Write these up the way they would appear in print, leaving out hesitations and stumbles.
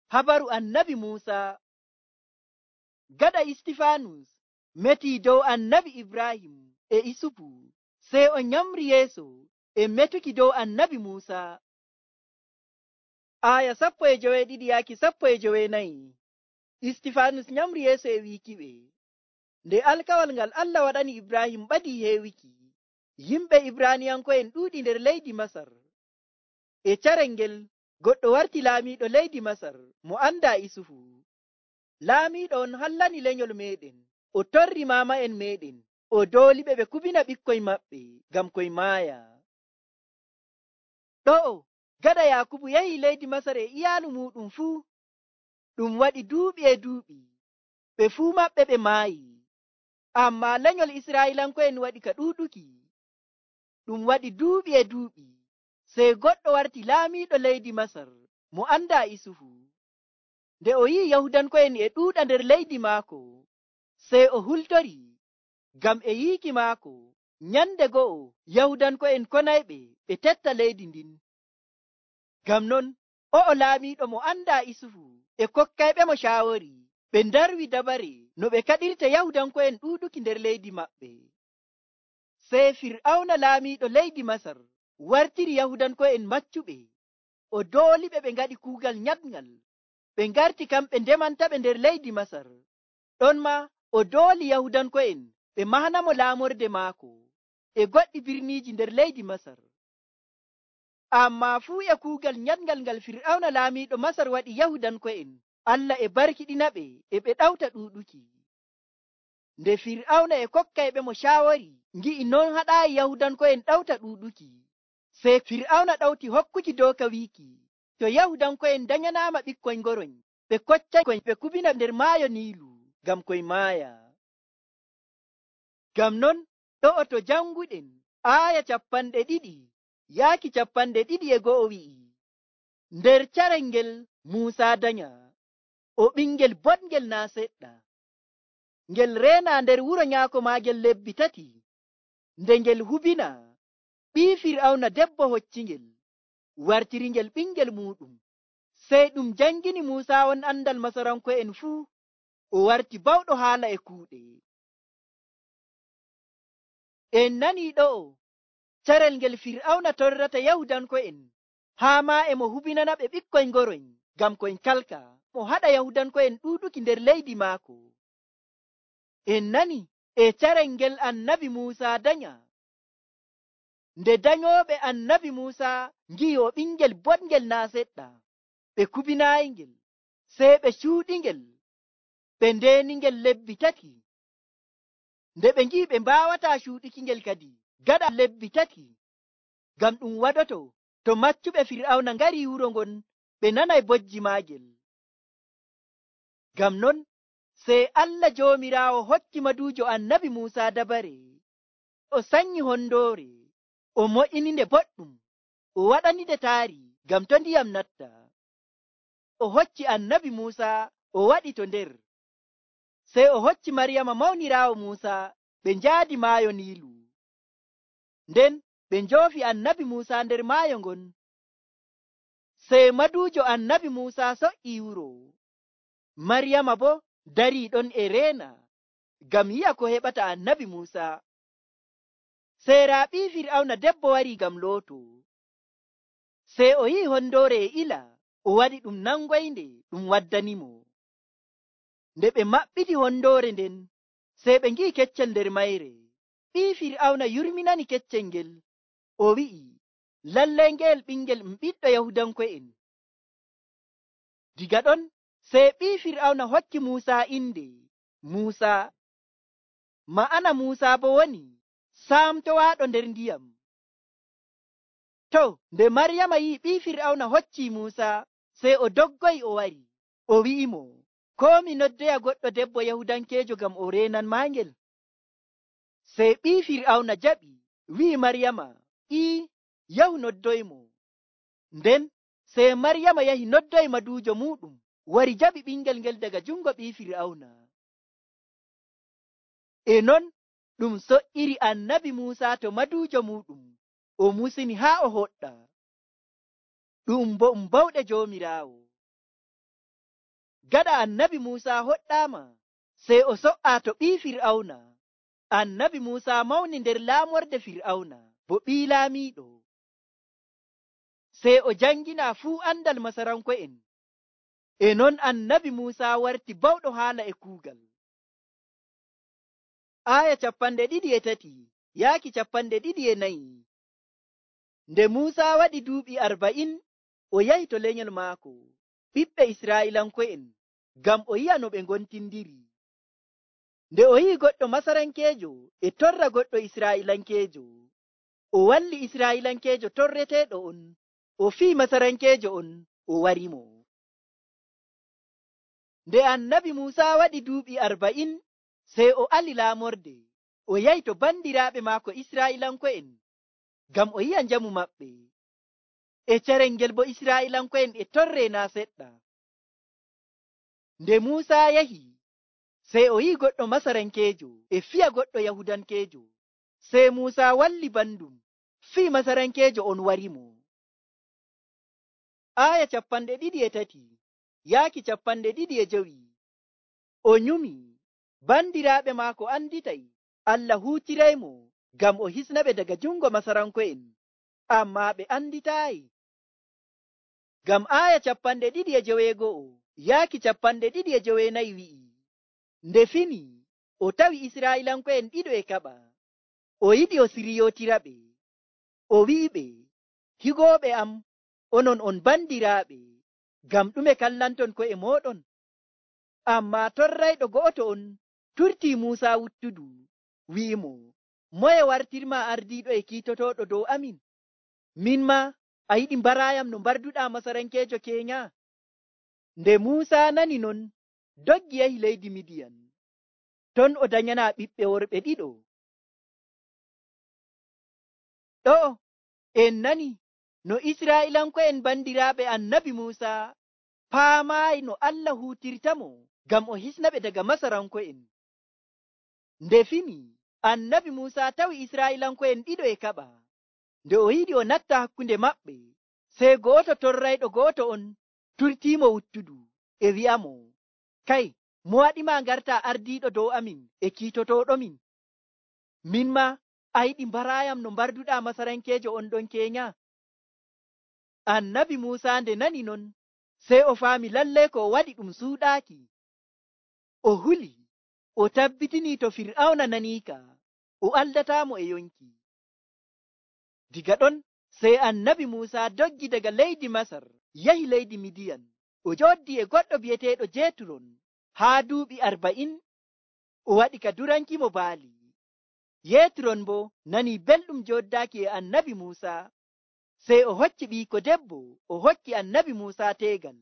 Habaru annabi Muusa. Gaɗa Istifanus meti dow annabi Ibrahim e Isufu, sey o nyamri yeeso e metuki dow annabi Muusa. Aya 12 yaaki 14. Istifanus nyamri yeeso e wiikiɓe, nde alkawal ngal Allah waɗani Ibrahim ɓadii heewiki, yimɓe Ibraniyanko'en ɗuuɗi nder leydi Masar. E carel ngel goɗɗo warti laamiiɗo leydi Masar mo anda Isufu. Laamiiɗo on hallani lenyol meɗen, o torri maama'en meɗen, o dooliɓe ɓe kubina ɓikkoy maɓɓe ngam koy maaya. Ɗo'o gaɗa Yakubu yahi leydi Masar e iyaalu muɗum fuu, ɗum waɗi duuɓi e duuɓi, ɓe fuu maɓɓe ɓe maayi. Ammaa lenyol Israa'iilanko'en waɗi ka ɗuuɗuki. Ɗum waɗi duuɓi e duuɓi, sey goɗɗo warti laamiiɗo leydi Masar mo anda Isufu. Nde o yi'i Yahudanko'en e ɗuuɗa nder leydi maako, sey o hultori, ngam e yiiki maako nyande go'o Yahudanko'en konayɓe ɓe tetta leydi ndin. Ngam non o'o laamiiɗo mo anda Isufu e kokkayɓe mo shaawari, ɓe ndarwi dabare no ɓe kaɗirta Yahudanko'en ɗuuɗuki nder leydi maɓɓe. Sey Fir'awna laamiiɗo leydi Masar wartiri Yahudanko'en maccuɓe, o dooliɓe ɓe ngaɗi kuugal nyaɗngal, ɓe ngarti kamɓe ndemantaɓe nder leydi Masar. Ɗon ma o dooli Yahudanko'en ɓe mahanamo laamorde maako e goɗɗi birniiji nder leydi Masar. Ammaa fuu e kuugal nyaɗngal ngal Fir'awna laamiiɗo Masar waɗi Yahudanko'en, Allah e barkiɗinaɓe e ɓe ɗawta ɗuuɗuki. Nde Fir'awna e kokkayɓe mo shaawari ngi'i non haɗaayi Yahudanko'en ɗawta ɗuuɗuki, sey Fir'awna ɗawti hokkuki dooka wiiki, to Yahudanko'en danyanaama ɓikkoy ngoroñ, ɓe koccay ɓe kubina nder maayo Niilu ngam koy maaya. Ngam non ɗo'o to janguɗen aaya 2 yaaki 21 wi'i, nder carel ngel Muusa danya, o ɓingel boɗngel naa seɗɗa, ngel reena nder wuro nyaako maagel lebbi 3, nde ngel hubina, ɓii Fir'awna debbo hoccingel, wartiringel ɓingel muɗum. Sey ɗum jangini Muusa on andal Masaranko'en fuu, o warti bawɗo haala e kuuɗe. En nanii ɗo'o carel ngel Fir'awna torrata Yahudanko'en, haa maa e mo hubinana ɓe ɓikkoy ngoroñ ngam koy kalka, mo haɗa Yahudanko'en ɗuuɗuki nder leydi maako. En nani e carel ngel annabi Muusa danya. Nde danyooɓe annabi Muusa ngi'i o ɓingel boɗngel naa seɗɗa, ɓe kubinaayingel, sey ɓe cuuɗingel, ɓe ndeeningel lebbi 3. Nde ɓe ngi'i ɓe mbaawataa cuuɗikingel kadi gaɗa lebbi 3, ngam ɗum waɗoto to maccuɓe Fir'awna ngari wuro ngon ɓe nanay bojji maagel. Ngam non sey Allah Joomiraawo hokki maduujo annabi Muusa dabare, o sanyi hondoore, o mo'ininde boɗɗum, o waɗaninde taari ngam to ndiyam natta. O hocci annabi Muusa o waɗi to nder, sey o hocci Maryama mawniraawo Muusa, ɓe njaadi maayo Niilu. Nden ɓe njoofi annabi Muusa nder maayo ngon. Sey maduujo annabi Muusa so'ii wuro, Maryama boo darii ɗon e reena ngam yi'a ko heɓata annabi Muusa. Sey raa ɓii Fir'awna debbo warii ngam looto, sey o yi'i hondoore e ila, o waɗi ɗum nangoynde ɗum waddanimo. Nde ɓe maɓɓiti hondoore nden, sey ɓe ngi'i keccel nder mayre. Ɓii Fir'awna yurminani keccel ngel, o wi'i, lallay ngeel ɓingel ɓiɗɗo Yahudanko'en. Diga ɗon sey ɓii Fir'awna hokki Muusa inde Muusa, ma'ana Muusa bo woni saamtowaaɗo nder ndiyam. To nde Maryama yi'i ɓii Fir'awna hocci Muusa, sey o doggoyi o wari, o wi'imo, koo mi noddoya goɗɗo debbo Yahudankeejo ngam o reenan maangel? Sey ɓii Fir'awna jaɓi, wi'i Maryama, yahu noddoymo. Nden sey Maryama yahi noddoyi maduujo muɗum, wari jaɓi ɓingel ngel daga jungo ɓii Fir'awna. E non ɗum so'iri annabi Muusa to maduujo muɗum, o musini haa o hoɗɗa. Ɗum bo bawɗe Joomiraawo. Gaɗa annabi Muusa hoɗɗaama, sey o so'a to ɓii Fir'awna. Annabi Muusa mawni nder laamorde Fir'awna bo ɓii laamiiɗo. Sey o jangina fuu andal Masaranko'en. E non annabi Muusa warti bawɗo haala e kuugal. Aya 23 yaaki 24. Nde Muusa waɗi duuɓi 40, o yahi to lenyol maako ɓiɓɓe Israa'ilanko'en ngam o yi'a no ɓe ngontindiri. Nde o yi'i goɗɗo Masarankeejo e torra goɗɗo Israa'ilankeejo, o walli Israa'ilankeejo torreteeɗo on, o fii Masarankeejo on, o warimo. Nde annabi Muusa waɗi duuɓi 40, sey o ali laamorde, o yahi to bandiraaɓe maako Israa'ilanko'en ngam o yi'a njamu maɓɓe. E carel ngel bo Israa'ilanko'en e torre naa seɗɗa. Nde Muusa yahi, sey o yi'i goɗɗo Masarankeejo e fiya goɗɗo Yahudankeejo. Sey Muusa walli bandum, fii Masarankeejo on warimo. Aya 23 yaaki 25. O nyumi, bandiraaɓe maako anditay Allah huutiraymo ngam o hisna ɓe daga jungo Masaranko'en, amma ɓe anditaayi. Ngam aya 21 yaaki 24 wi'i, nde fini o tawi Israa'ilanko'en ɗiɗo e kaɓa, o yiɗi o siriyotiraɓe. O wi'iɓe, higooɓe am, onon on bandiraaɓe, ngam ɗume kallanton ko'e mooɗon? Amma torrayɗo go'oto on turtii Muusa wuttudu, wi'imo, moye wartirma ardiiɗo e kiitotoɗo dow amin? Min ma a yiɗi mbarayam no mbarduɗaa Masarankeejo keenya? Nde Muusa nani non, doggi yahi leydi Midiyan. Ton o danyanaa ɓiɓɓe worɓe ɗiɗo. Ɗo en nani no Israa'ilanko'en bandiraaɓe annabi Muusa paamaayi no Allah huutirtamo ngam o hisna ɓe daga Masaranko'en. Nde fini annabi Muusa tawi Israa'ilanko'en ɗiɗo e kaɓa. Nde o yiɗi o natta hakkunde maɓɓe, sey go'oto torrayɗo go'oto on turtiimo wuttudu e wi'amo, kay, mo waɗima ngarta ardiiɗo dow amin e kiitotoɗomin? Min ma a yiɗi mbarayam no mbarduɗaa Masarankeejo on ɗon keenya? Annabi Muusa nde nani non, sey o faami lallay ko o waɗi ɗum suuɗaaki. O huli, o tabbitini to Fir'awna naniika, o aldataamo e yonki. Diga ɗon sey annabi Muusa doggi daga leydi Masar yahi leydi Midiyan. O jooɗi e goɗɗo bi'eteeɗo Jeturon haa duuɓi 40. O waɗi ka durankimo baali. Yetron bo nani belɗum joddaaki e annabi Muusa, sey o hokki ɓiiko debbo, o hokki annabi Muusa teegal.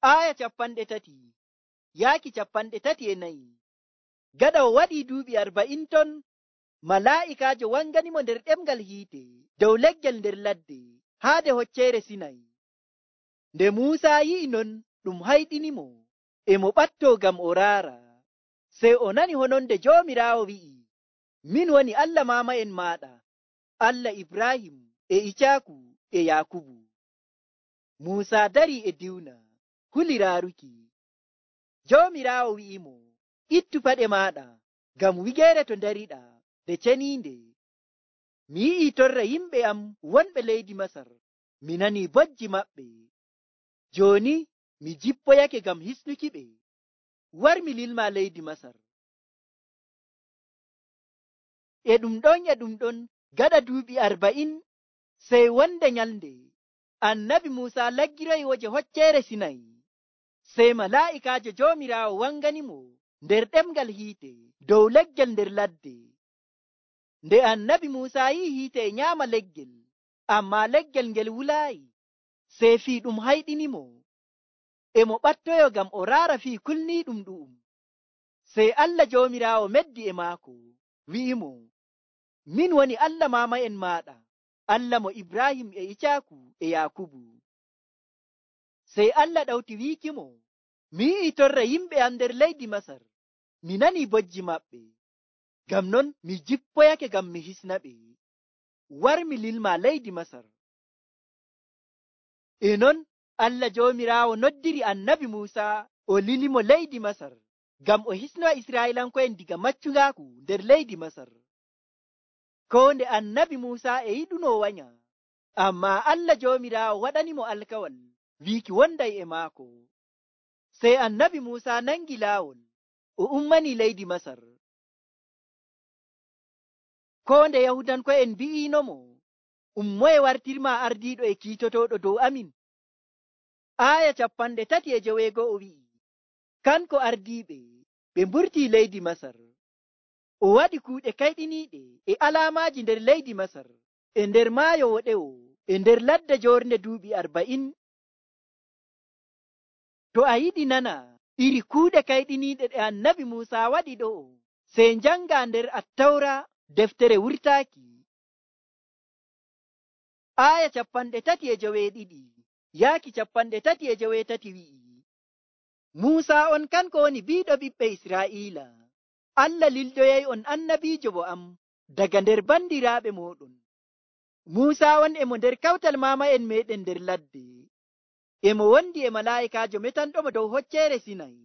Aya 30 yaaki 34. Gaɗa o waɗi duuɓi 40 ton, malaa'ikaajo wanganimo nder ɗemgal hiite dow leggel nder ladde haade hocceere Sinay. Nde Muusa yi'i non, ɗum hayɗinimo, e mo ɓattoo ngam o raara. Sey o nani hononde Joomiraawo wi'i, min woni Allah maama'en maaɗa, Allah Ibrahim e Icaaku e Yaakubu. Muusa darii e diwna, huli raaruki. Joomiraawo wi'imo, ittu paɗe maaɗa, ngam wigeere to ndariɗa nde ceniinde. Mi yi'i torra yimɓe am wonɓe leydi Masar, mi nani bojji maɓɓe. Jooni mi jippoyake ngam hisnuki ɓe. War mi lilma leydi Masar. E ɗum ɗon gaɗa duuɓi 40, sey wonde nyalnde annabi Muusa laggiroyi woje hocceere Sinay. Sey malaa'ikaajo Joomiraawo wanganimo nder ɗemgal hiite dow leggel nder ladde. Nde annabi Muusa yi'i hiite e nyaama leggel, amma leggel ngel wulaayi, sey fii ɗum hayɗinimo, e mo ɓattoyo ngam o raara fii kulniiɗum ɗu'um. Sey Allah Joomiraawo meddi e maako, wi'imo, min woni Allah maama'en maaɗa, Allah mo Ibrahim e Icaaku e Yaakubu. Sey Allah ɗawti wiikimo, mi yi'i torra yimɓe am nder leydi Masar, mi nani bojji maɓɓe, ngam non mi jippoyake ngam mi hisna ɓe. War mi lilma leydi Masar. E non Allah Joomiraawo noddiri annabi Muusa o lilimo leydi Masar ngam o hisno Israa'iilanko'en diga maccungaaku nder leydi Masar. Koo nde annabi Muusa e yiɗuno wanya, ammaa Allah Joomiraawo waɗanimo alkawal wiiki wonday e maako. Sey annabi Muusa nangi laawol o ummani leydi Masar. Koo nde Yahudanko'en mbi'inomo, ummoye wartirma ardiiɗo e kiitotooɗo dow amin. Aaya 37 wi'i, kanko ardiiɓe ɓe mburtii leydi Masar. O waɗi kuuɗe kayɗiniiɗe e alaamaaji nder leydi Masar, e nder maayo woɗewo, e nder ladde joornde duuɓi 40. To a yiɗi nana iri kuuɗe kayɗiniiɗe ɗe annabi Muusa waɗi ɗo'o, sey njanga nder Attawra deftere wurtaaki. Aaya 32 yaaki 33 wi'i, Muusa on kanko woni biiɗo ɓiɓɓe Israa'iila. Allah lildoyay on annabiijo bo am daga nder bandiraaɓe mooɗon. Muusa on emo nder kawtal maama'en meɗen nder ladde. Emo wondi e malaa'ikaajo metanɗomo dow hocceere Sinay.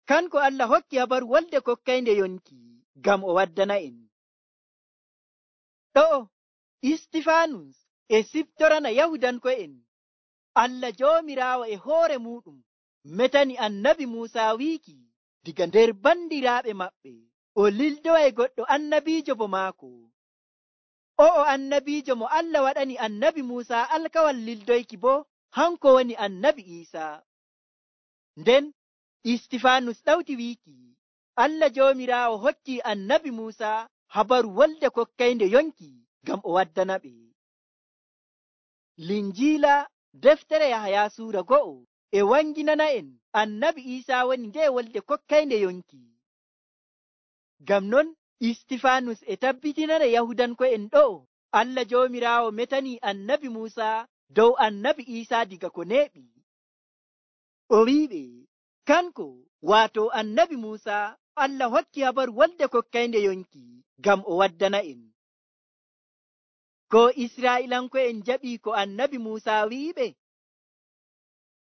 Kanko Allah hokki habaru wolde kokkaynde yonki ngam o waddana en. Ɗo'o Istifanus e siftorana Yahudanko'en. Allah Joomiraawo e hoore muɗum metani annabi Muusa wiiki diga nder bandiraaɓe maɓɓe o lildoyay goɗɗo annabiijo bo maako. O'o annabiijo mo Allah waɗani annabi Muusa alkawal lildoyki bo hanko woni annabi Iisaa. Nden Istifanus ɗawti wiiki Allah Joomiraawo hokki annabi Muusa habaru wolde kokkaynde yonki ngam o waddana ɓe. Linjiila deftere Yahaya suura 1 e wanginana en annabi Iisaa woni nde wolde kokkaynde yonki. Ngam non Istifanus e tabbitinana Yahudanko'en ɗo'o Allah Joomiraawo metani annabi Muusa dow annabi Iisaa diga ko neeɓi. O wi'iɓe kanko waato annabi Muusa Allah hokki habaru wolde kokkaynde yonki ngam o waddana en. Ko Israa'iilanko'en jaɓii ko annabi Muusa wi'iɓe?